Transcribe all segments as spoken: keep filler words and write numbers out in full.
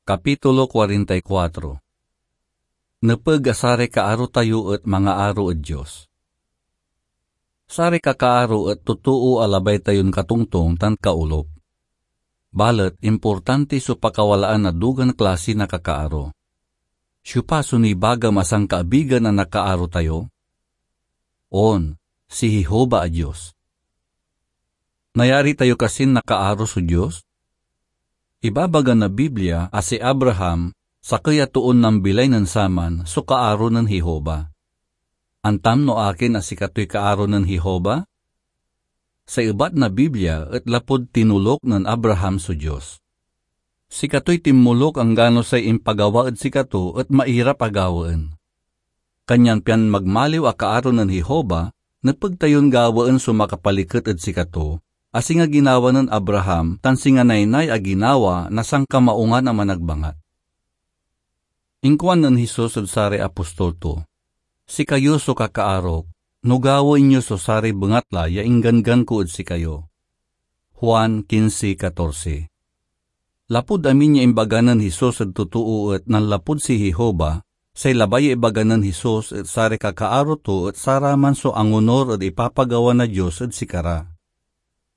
Kapitulo kuarenta y kuatro. Nepeg a saray kaaro tayo et mangaaro ed Dios. Saray kakaaro et totoo a labay tayon katongtong tan kaolop. Balet importante so pakawalaan na dugan klasi na kakaaro. Siopa so nibagam a sankaabigan a nakaaro tayo? On, si Jehovah a Dios. Nayari tayo kasin nakaaro so Dios? Ibabaga na Biblia a si Abraham, sakey a toon nambilay nen saman, so kaaro nen Jehovah. Antam no akin a sikatoy kaaro nen Jehovah? Say ebat na Biblia et lapud tinulok nen Abraham so Dios. Sikatoy tinmolok anggano say impagawa ed sikato et mairap a gawaen. Kanyan pian magmaliw a kaaro nen Jehovah, nepeg tayon gawaen so makapaliket ed sikato, a singa ginawa nen Abraham tan singa naynay a ginawa na sankamaungan a managbangat. Inkuan nen Jesus ed saray apostol to, "Sikayo so kakaarok, no gawaen yo so saray bengatla ya ingganggan ko ed sikayo." Juan quince catorce. Lapud amin ya imbaga nen Jesus ed totoo et nanlapud si Jehovah, say labay ya ibaga nen Jesus et saray kakaaro to et saraman so angonor ed ipapagawa na Dios ed sikara.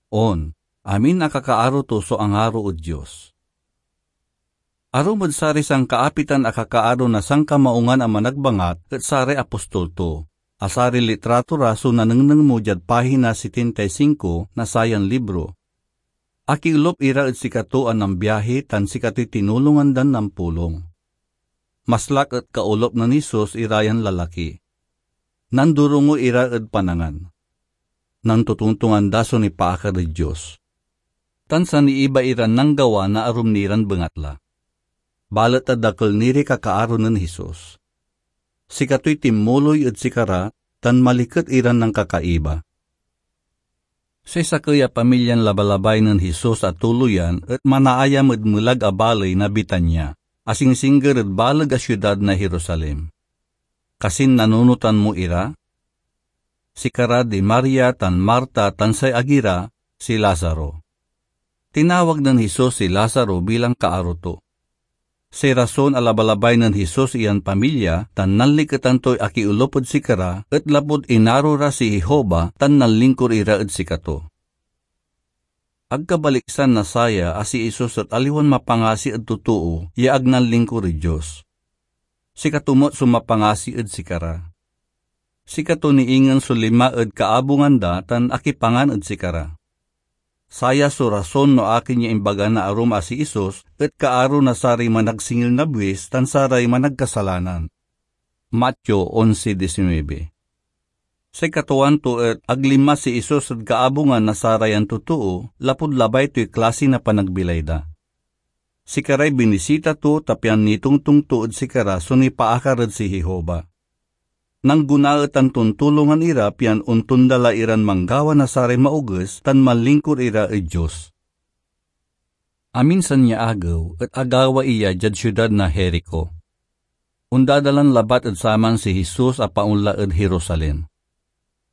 On, amin a kakaaro to so angaro ed Dios. Arum ed saray sankaapitan a kakaaro na sankamaungan a managbangat et saray apostol to, a saray litrato ra so nanengneng mo diad pahina setenta y cinco na sayan libro. Akiolop ira ed sikato a nambiahi tan sikatoy tinulongan dan nampulong. Maslak et kaolop nen Jesus ira yan lalaki. Nandorongo ira ed panangan. Nantotongtongan da so nipaakar ed Dios. Tan saniiba iran nanggawa na arum ni ran bengatla. Balet ta dakel ni ray kakaaro nen Jesus. Sikatoy tinmuloy ed sikara tan maliket iran nankakaiba. Say sakey a pamilyan labalabay nen Jesus a tuloyan et manaayam ed melag a baley na Betania, a singsingger ed baleg a siudad na Jerusalem. Kasin nanunotan mo ira? Sikara di Maria tan Marta tan say agi ra, si Lazaro. Tinawag nen Jesus si Lazaro bilang kaaro to. Say rason a labalabay nen Jesus iyan pamilya tan nanliketan toy akiolop ed sikara et lapud inaro ra si Jehovah tan nanlingkor ira ed sikato. Agka baliksan na saya a si Jesus et aliwan mapangasi ed totoo ya ag nanlingkor ed Dios. Sikato met so mapangasi ed sikara. Sikato ni ingen so linma ed kaabungan da tan akipangan ed sikara. Saya so rason no akin ya imbaga na arum a si Jesus et kaaro na saray managsingil na buis tan saray managkasalanan. Mateo onse diecinuebe. Say katuaan to et ag linma si Jesus ed kaabungan na sarayan totoo lapud labay toy klasi na panagbilay da. Sikaray binisita to ta pian nitongtong to ed sikara so nipaakar ed si Jehovah. Nanggunaetan ton tulongan ira pian ontonda la iran manggawa na saray maoges tan manlingkor ira ed Dios. Aminsan ya agew et agawa iya diad siudad na Jerico. Ondadalan labat ed saman si Jesus a paonla ed Jerusalem.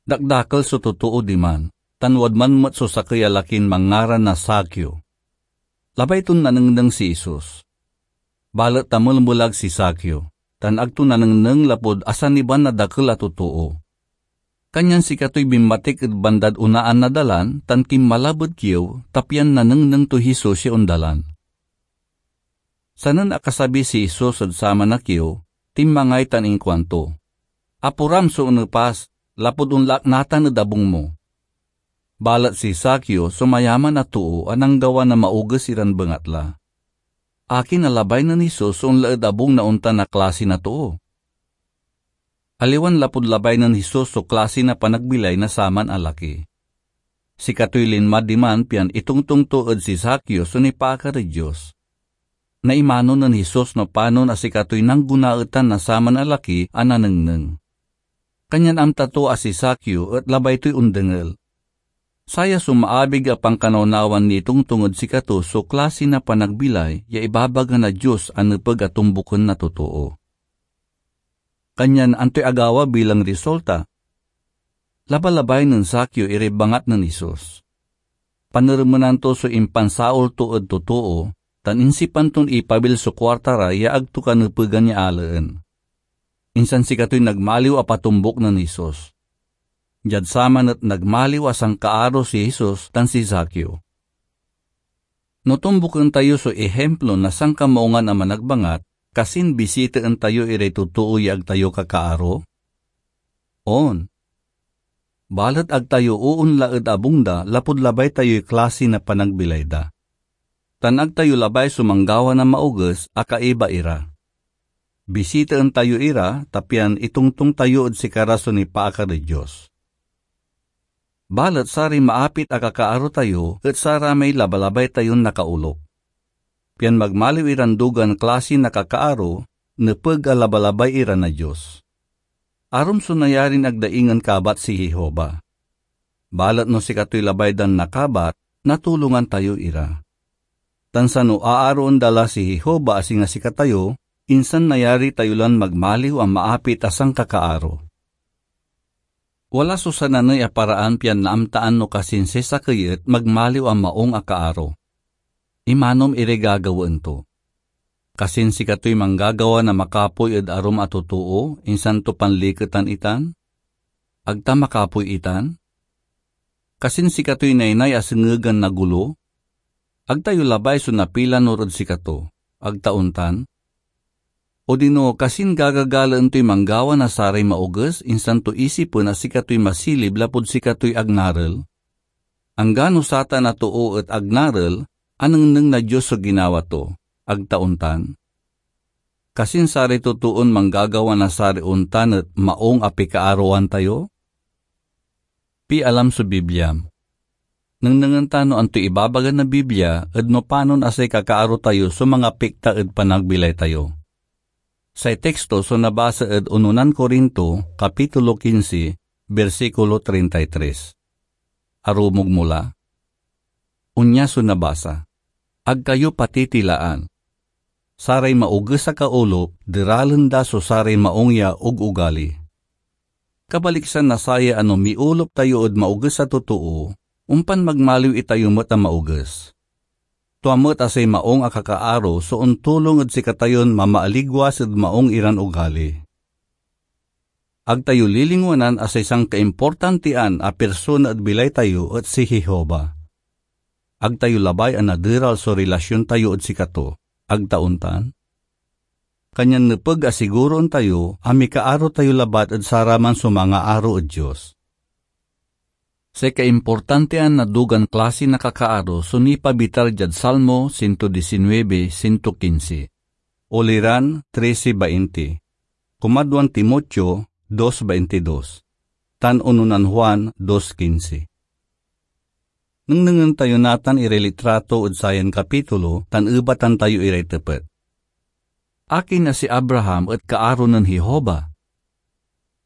Dakdakel so totoo diman, tan wadman met so sakey a lakin manngaran na Zaqueo. Labay ton nanengneng si Jesus. Balet tamelmelag si Zaqueo, tan ag to nanengneng lapud asaniban na dakel a totoo. Kanyan sikatoy binmatik ed bandad onaan na dalan tan kinmalab ed kiew, ta pian nanengneng toy Jesus ya ondalan. Sanen akasabi si Jesus ed saman a kiew, tinmangay tan inkuanto, "Apuram so onepas, lapud onla ak natan ed abung mo." Balet si Zaqueo so mayaman a too a nanggawa na maoges iran bengatla. Akin a labay nen Jesus so onla ed abung na ontan a klasi na too? Aliwan lapud labay nen Jesus so klasi na panagbilay na saman a laki. Sikatoy linma diman pian itongtong to ed si Zaqueo so nipaakar ed Dios. Naimano nen Jesus no panon a sikatoy nanggunaetan na saman a laki a nanengneng. Kanyan amta to a si Zaqueo et labay toy ondengel. Saya so maabig a pankanawnawan nitongtong ed sikato so klasi na panagbilay ya ibabaga na Dios a nepeg a tombuken na totoo. Kanyan antoy agawa bilang resulta? Labalabay nen Zaqueo iray bangat nen Jesus. Paneremenan to so impansaol to ed totoo, tan insipan ton ipabil so kuarta ra ya ag to kanepegan ya alaen. Insan sikatoy nagmaliw a patombuk nen Jesus. Diad saman et nagmaliw a sankaaro si Jesus tan si Zaqueo. No tombuken tayo so ihimplo na sankamaungan a managbangat, kasin bisitaen tayo iray totoo ya ag tayo kakaaro? On. Balet ag tayo oonla ed abung da lapud labay tayoy klasi na panagbilay da. Tan ag tayo labay so manggawa na maoges a kaiba ira. Bisitaen tayo ira, ta pian itongtong tayo ed sikara so nipaakar ed Dios. Balet saray maapit a kakaaro tayo et saramay labalabay tayon nakaolop. Pian magmaliw iran dugan klasi na kakaaro, nepeg a labalabay ira na Dios. Arum so nayarin ag da ingen kabat si Jehovah. Balet no sikatoy labay dan nakabat, natulongan tayo ira. Tan sano aaroen da la si Jehovah a singa sikatayo, insan nayari tayo lan magmaliw a maapit a sankakaaro. Wala so sananey a paraan pian naamtaan no kasin si sakey et magmaliw a maung a kaaro. Imanom iray gagawaen to. Kasin sikatoy manggagawa na makapoy ed arum a totoo, insan to panliketan itan? Ag ta makapoy itan? Kasin sikatoy naynay a sengegan na golo? Ag tayo labay so napilanur ed sikato, ag ta ontan? Odino, kasin gagagalaen toy manggawa na saray maoges, insan to isipen a sikatoy masilib lapud sikatoy ag narel? Anggano satan a too et ag narel, anengneng na Dios so ginawa to, ag ta ontan? Kasin saray totoon manggagawa na saray ontan et maung a pikaaroan tayo? Pialam so Bibliam. Nengnengen ta no antoy ibabaga na Biblia ed no panon a say kakaaro tayo so mangapikta ed panagbilay tayo. Say teksto so nabasa ed Unonan Corinto, Kapitulo quince, bersikulo treinta y tres. Arumog mo la. Onya so nabasa, "Ag kayo patitilaan. Saray maoges a kaolop, deralen da so saray maung ya ugugali." Kabaliksan na saya a no miolop tayo ed maoges a totoo, ompan magmaliw itayo met a maoges. Tua met a say maung a kakaaro so ontulong ed sikatayon mamaaligwas ed maung iran ugali. Ag tayo lilingwanan a say sankaimportantian a pirsona ed bilay tayo et si Jehovah. Ag tayo labay a naderal so relasyon tayo ed sikato, ag ta ontan? Kanyan nepeg a siguroen tayo a mikaaro tayo labat ed saraman so mangaaro ed Dios. Say kaimportantian na dugan klasi na kakaaro so nipabitar diad Salmo ciento diecinueve, ciento quince, Uliran trece veinte, Kumadwan Timoteo dos veintidós, tan Unonan Juan dos quince. Nengnengen tayo natan iray litrato ed sayan kapitulo tan ebatan tayo iray tepet. Akin a si Abraham et kaaro nen Jehovah?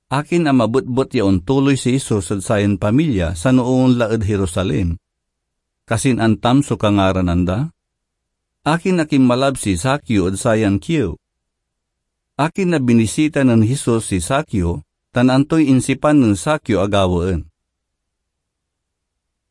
Akin a mabetbet ya ontuloy si Jesus ed sayan pamilya sano onla ed Jerusalem? Kasin antam so kangaranan da? Akin a kinmalab si Zaqueo ed sayan kiew? Akin a binisita nen Jesus si Zaqueo, tan antoy insipan nen Zaqueo a gawaen?